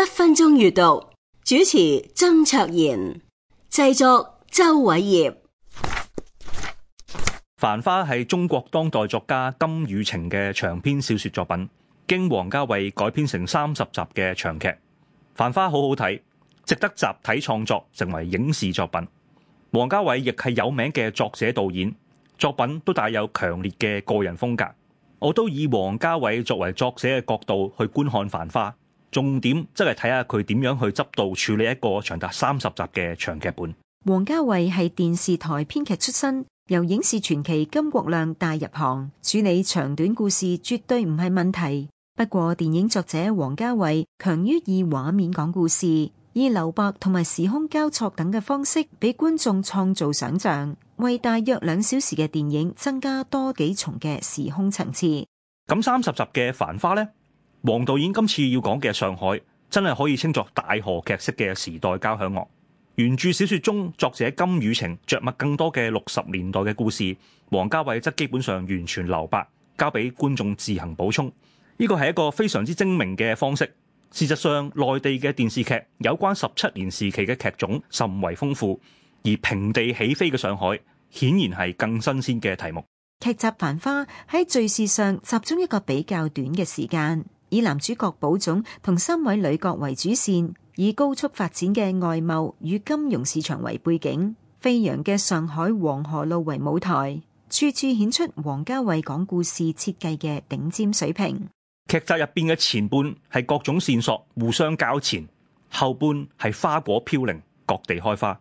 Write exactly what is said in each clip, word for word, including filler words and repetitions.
分鐘閱讀，主持曾卓賢，製作周偉業。繁花係中國當代作家金宇澄嘅長篇小說作品，經王家衛改編成三十集嘅長劇。繁花好好睇，值得集體創作成為影視作品。王家衛亦係有名嘅作者導演，作品都帶有強烈嘅個人風格。我都以王家衛作為作者嘅角度去觀看繁花，重點則係睇下佢點樣去執導處理一個長達三十集嘅長劇本。王家衛係電視台編劇出身，由影視傳奇金國亮帶入行，處理長短故事絕對唔係問題。不過電影作者王家衛強於以畫面講故事，以留白同埋時空交錯等嘅方式俾觀眾創造想象，為大約兩小時嘅電影增加多幾重嘅時空層次。咁三十集嘅繁花呢？王導演今次要講嘅上海真係可以稱作大河劇式嘅時代交響樂。原著小說中，作者金宇澄着墨更多嘅六十年代嘅故事，王家衛則基本上完全留白，交俾觀眾自行補充。呢個係一個非常之精明嘅方式。事實上，內地嘅電視劇有關十七年時期嘅劇種甚為豐富，而平地起飛嘅上海顯然係更新鮮嘅題目。劇集《繁花》喺敘事上集中一個比較短嘅時間，以男主角寶總同三位女角為主線，以高速發展嘅外貿與金融市場為背景，飛揚嘅上海黃河路為舞台，處處顯出王家衛講故事設計嘅頂尖水平。劇集入邊嘅前半係各種線索互相交纏，後半係花果飄零，各地開花。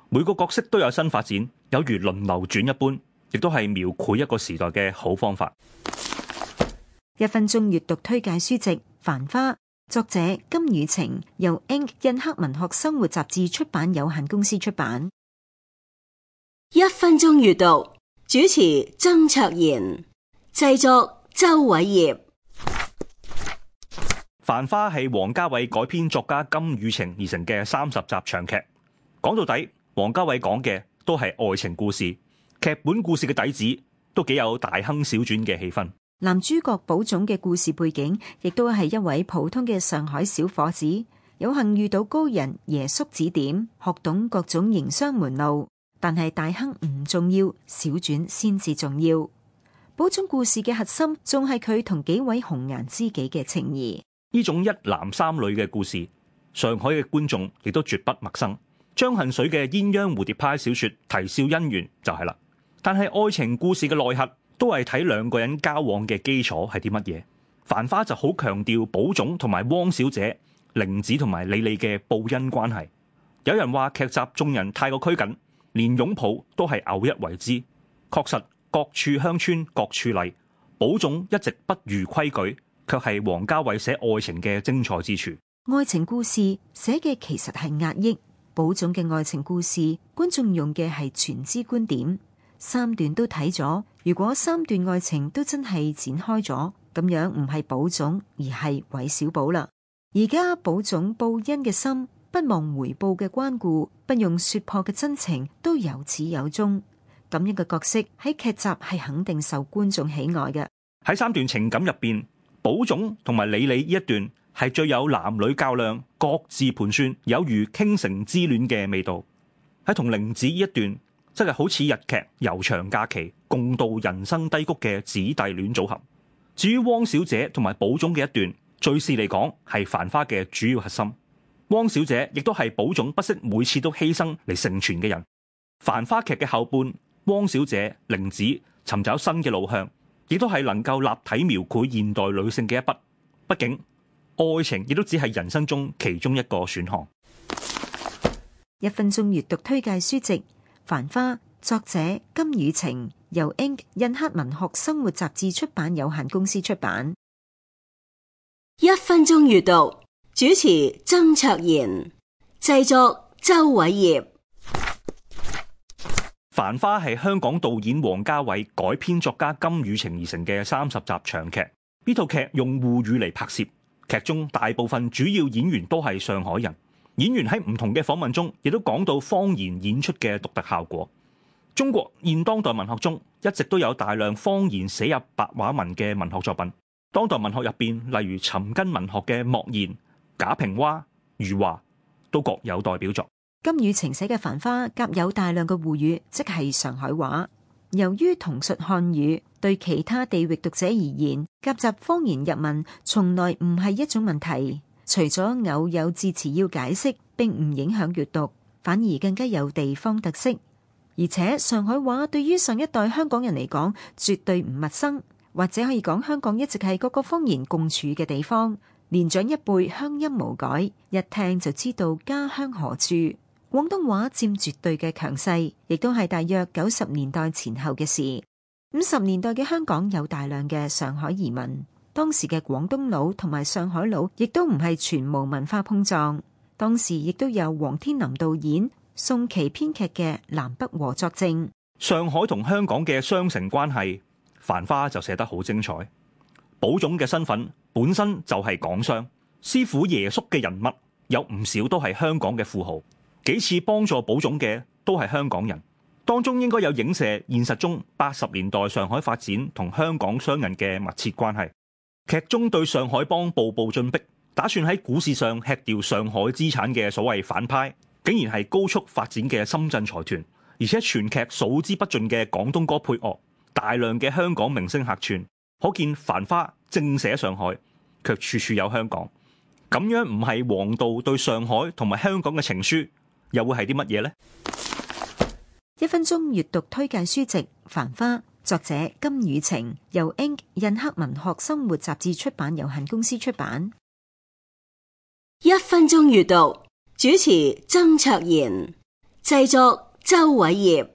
每個角色都有新發展，有如輪流轉一般，亦都係描繪一個時代嘅好方法。一分鐘閱讀推介書籍《繁花》，作者金宇澄，由 Ink 印刻文學生活雜誌出版有限公司出版。一分鐘閱讀，主持曾卓賢，製作周偉業。繁花係王家衛改編作家金宇澄而成嘅三十集長劇。講到底，王家衛講嘅都係愛情故事，劇本故事嘅底子都幾有大亨小傳嘅氣氛。男主角寶總嘅故事背景亦都係一位普通嘅上海小伙子，有幸遇到高人爺叔指點，學懂各種營商門路。但係大亨唔重要，小傳先至重要。寶總故事嘅核心仲係佢同幾位紅顏知己嘅情誼。呢種一男三女嘅故事，上海嘅觀眾亦都絕不陌生。張恨水嘅鴛鴦蝴蝶派小說《啼笑姻緣》就係啦。但係愛情故事嘅內核都係睇兩個人交往嘅基礎係啲乜嘢。繁花就好強調寶總同埋汪小姐、玲子同埋李李嘅報恩關係。有人話劇集眾人太過拘謹，連擁抱都係偶一為之。確實各處鄉村各處例，寶總一直不如規矩，卻係王家衛寫愛情嘅精彩之處。愛情故事寫嘅其實係壓抑，寶總嘅愛情故事觀眾用嘅係全知觀點。三段都睇咗，如果三段愛情都真係展開咗，咁樣唔係寶總而係韋小寶啦。而家寶總報恩嘅心，不忘回報嘅關顧，不用說破嘅真情都有始有終。咁樣嘅角色喺劇集係肯定受觀眾喜愛嘅。喺三段情感入邊，寶總同埋李李呢一段係最有男女較量、各自盤算，有如傾城之戀嘅味道。喺同玲子呢一段，則係好似日劇《悠長假期》共度人生低谷嘅姊弟戀組合。至於汪小姐同埋寶總嘅一段，敘事嚟講係繁花嘅主要核心。汪小姐亦都係寶總不惜每次都犧牲嚟成全嘅人。繁花劇嘅後半，汪小姐、玲子尋找新嘅路向，亦都係能夠立體描繪現代女性嘅一筆。畢竟愛情亦都只係人生中其中一個選項。一分鐘閱讀推介書籍《繁花》，作者金宇澄，由 Ink 印刻文學生活雜誌出版有限公司出版。一分鐘閱讀，主持曾卓賢，製作周偉業。繁花係香港導演王家衛改編作家金宇澄而成嘅三十集長劇。呢套劇用滬語嚟拍攝，劇中大部分主要演員都係上海人。演員喺唔同嘅訪問中，亦都講到方言演出嘅獨特效果。中國現當代文學中一直都有大量方言寫入白話文嘅文學作品。當代文學入邊，例如尋根文學嘅莫言、賈平凹、余華都各有代表作。金宇澄寫嘅《繁花》夾有大量嘅滬語，即係上海話。由於同述漢語，對其他地域讀者而言，夾雜方言入文從來唔係一種問題。除咗偶有字詞要解釋，並唔影響閱讀，反而更加有地方特色。而且上海話對於上一代香港人嚟講，絕對唔陌生，或者可以講香港一直係各個方言共處嘅地方。年長一輩鄉音無改，一聽就知道家鄉何處。廣東話佔絕對嘅強勢，亦都係大約九十年代前後嘅事。五十年代嘅香港有大量嘅上海移民，當時嘅廣東佬同埋上海佬亦都唔係全無文化碰撞。當時亦都有黃天林導演、宋琦編劇嘅《南北和》作證。上海同香港嘅雙城關係，《繁花》就寫得好精彩。寶總嘅身份本身就係港商，師傅爺叔嘅人物有唔少都係香港嘅富豪。幾次幫助寶總嘅都係香港人，當中應該有影射現實中八十年代上海發展同香港商人嘅密切關係。劇中對上海幫步步進逼，打算喺股市上吃掉上海資產嘅所謂反派，竟然係高速發展嘅深圳財團，而且全劇數之不盡嘅廣東歌配樂，大量嘅香港明星客串，可見《繁花》正寫上海，卻處處有香港。咁樣唔係王導對上海同埋香港嘅情書，又會係啲乜嘢呢？一分鐘閱讀推介書籍《繁花》，作者金宇澄，由 Ink 印刻文學生活雜誌出版有限公司出版。一分鐘閱讀，主持曾卓賢，製作周偉業。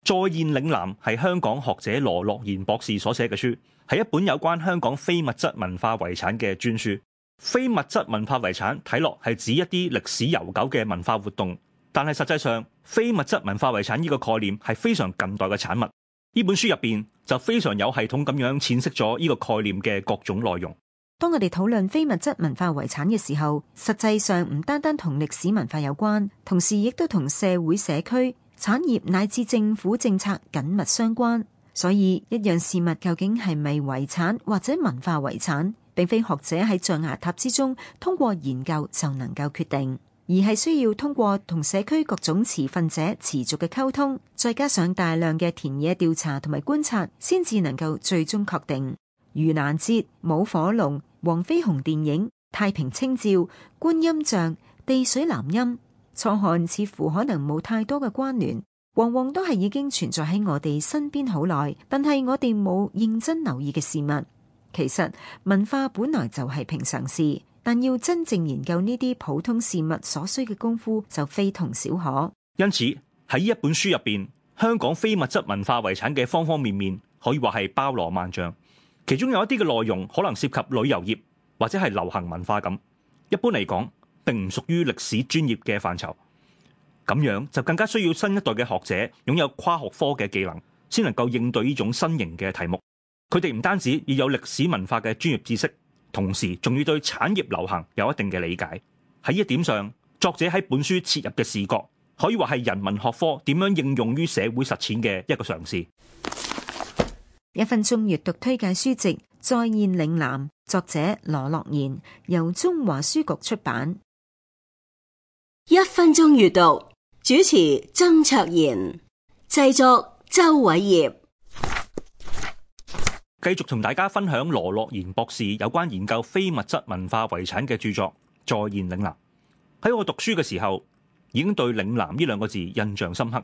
再現嶺南係香港學者羅樂賢博士所寫嘅書，係一本有關香港非物質文化遺產嘅專書。非物質文化遺產睇落係指一啲歷史悠久嘅文化活動，但係實際上非物質文化遺產呢個概念係非常近代嘅產物。呢本書入邊就非常有系統咁樣闡釋咗呢個概念嘅各種內容。當我哋討論非物質文化遺產嘅時候，實際上唔單單同歷史文化有關，同時亦都同社會社區、產業乃至政府政策緊密相關。所以一樣事物究竟係咪遺產或者文化遺產，並非學者喺象牙塔之中通過研究就能夠決定，而係需要通過同社區各種持份者持續嘅溝通，再加上大量嘅田野調查同埋觀察，先至能夠最終確定。盂蘭節、舞火龍、黃飛鴻電影、太平清醮、觀音像、地水南音，初看似乎可能冇太多嘅關聯，往往都係已經存在喺我哋身邊好耐，但係我哋冇認真留意嘅事物。其實文化本來就係平常事，但要真正研究呢啲普通事物所需嘅功夫就非同小可。因此喺呢一本書入邊，香港非物質文化遺產嘅方方面面可以話係包羅萬象。其中有一啲嘅內容可能涉及旅遊業或者係流行文化咁，一般嚟講並唔屬於歷史專業嘅範疇。咁樣就更加需要新一代嘅學者擁有跨學科嘅技能，先能夠應對呢種新型嘅題目。佢哋唔單止要有歷史文化嘅專業知識，同時仲要對產業流行有一定嘅理解。喺呢一點上，作者喺本書切入嘅視角，可以話係人文學科點樣應用於社會實踐嘅一個嘗試。一分鐘閱讀推介書籍《再現嶺南》，作者羅樂賢，由中華書局出版。一分鐘閱讀，主持曾卓賢，製作周偉業。繼續同大家分享羅樂賢博士有關研究非物質文化遺產嘅著作《再現嶺南》。喺我讀書嘅時候，已經對嶺南呢兩個字印象深刻。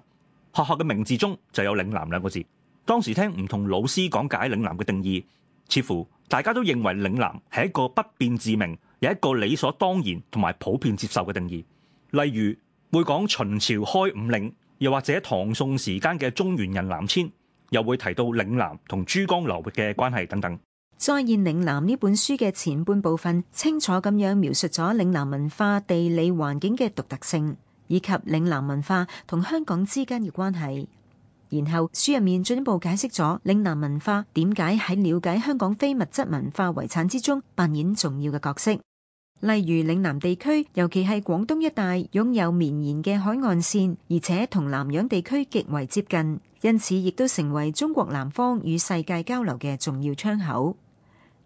學校嘅名字中就有嶺南兩個字。當時聽唔同老師講解嶺南嘅定義，似乎大家都認為嶺南係一個不變自明，有一個理所當然同埋普遍接受嘅定義。例如會講秦朝開五嶺，又或者唐宋時間嘅中原人南遷，又會提到嶺南同珠江流域嘅關係等等。再現嶺南呢本書嘅前半部分，清楚咁樣描述咗嶺南文化地理環境嘅獨特性，以及嶺南文化同香港之間嘅關係。然後書入面進一步解釋咗嶺南文化點解喺了解香港非物質文化遺產之中扮演重要嘅角色。例如嶺南地區，尤其係廣東一帶，擁有綿延嘅海岸線，而且同南洋地區極為接近，因此亦都成為中國南方與世界交流嘅重要窗口。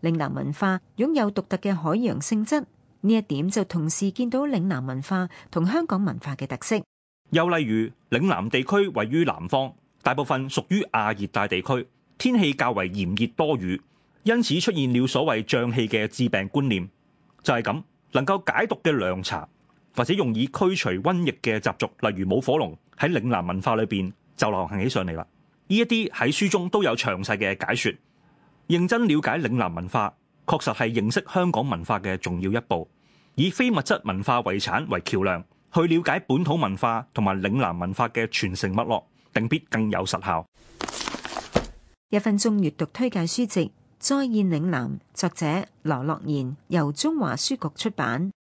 嶺南文化擁有獨特嘅海洋性質，呢一點就同時見到嶺南文化同香港文化嘅特色。又例如嶺南地區位於南方，大部分屬於亞熱帶地區，天氣較為炎熱多雨，因此出現了所謂瘴氣嘅致病觀念。就係咁，能夠解毒嘅涼茶或者用以驅除瘟疫嘅習俗，例如舞火龍，喺嶺南文化裏邊就流行起上嚟啦。呢一啲喺書中都有詳細嘅解說。認真了解嶺南文化，確實係認識香港文化嘅重要一步。以非物質文化遺產為橋梁，去了解本土文化同埋嶺南文化嘅傳承脈絡，定必更有實效。一分鐘閱讀推介書籍《再現嶺南》，作者羅樂賢，由中華書局出版。